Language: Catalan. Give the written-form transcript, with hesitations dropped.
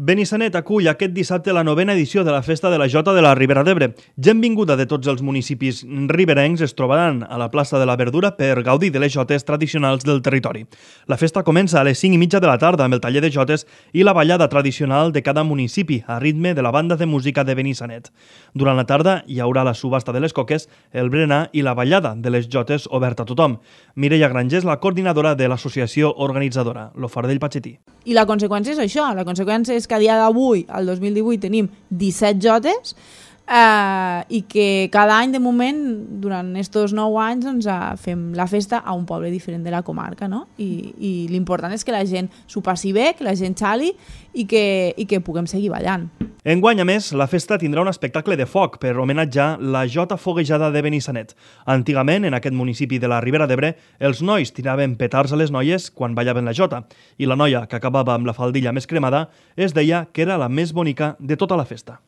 Benissanet acull aquest dissabte la 9a edició de la Festa de la Jota de la Ribera d'Ebre. Gent vinguda de tots els municipis riberencs es trobaran a la plaça de la Verdura per gaudir de les jotes tradicionals del territori. La festa comença a les 5:30 de la tarda amb el taller de jotes i la ballada tradicional de cada municipi a ritme de la banda de música de Benissanet. Durant la tarda hi haurà la subhasta de les coques, el berenar i la ballada de les jotes oberta a tothom. Mireia Granger és la coordinadora de l'associació organitzadora, l'Ofardell Patxetí. I la conseqüència és això, la conseqüència és que a dia d'avui, al 2018, tenim 17 jotes i que cada any, de moment, durant aquests 9 anys, doncs, fem la festa a un poble diferent de la comarca, no? I l'important és que la gent s'ho passi bé, que la gent xali i que puguem seguir ballant. Enguany, a més, la festa tindrà un espectacle de foc per homenatjar la Jota Foguejada de Benissanet. Antigament, en aquest municipi de la Ribera d'Ebre, els nois tiraven petards a les noies quan ballaven la Jota i la noia, que acabava amb la faldilla més cremada, es deia que era la més bonica de tota la festa.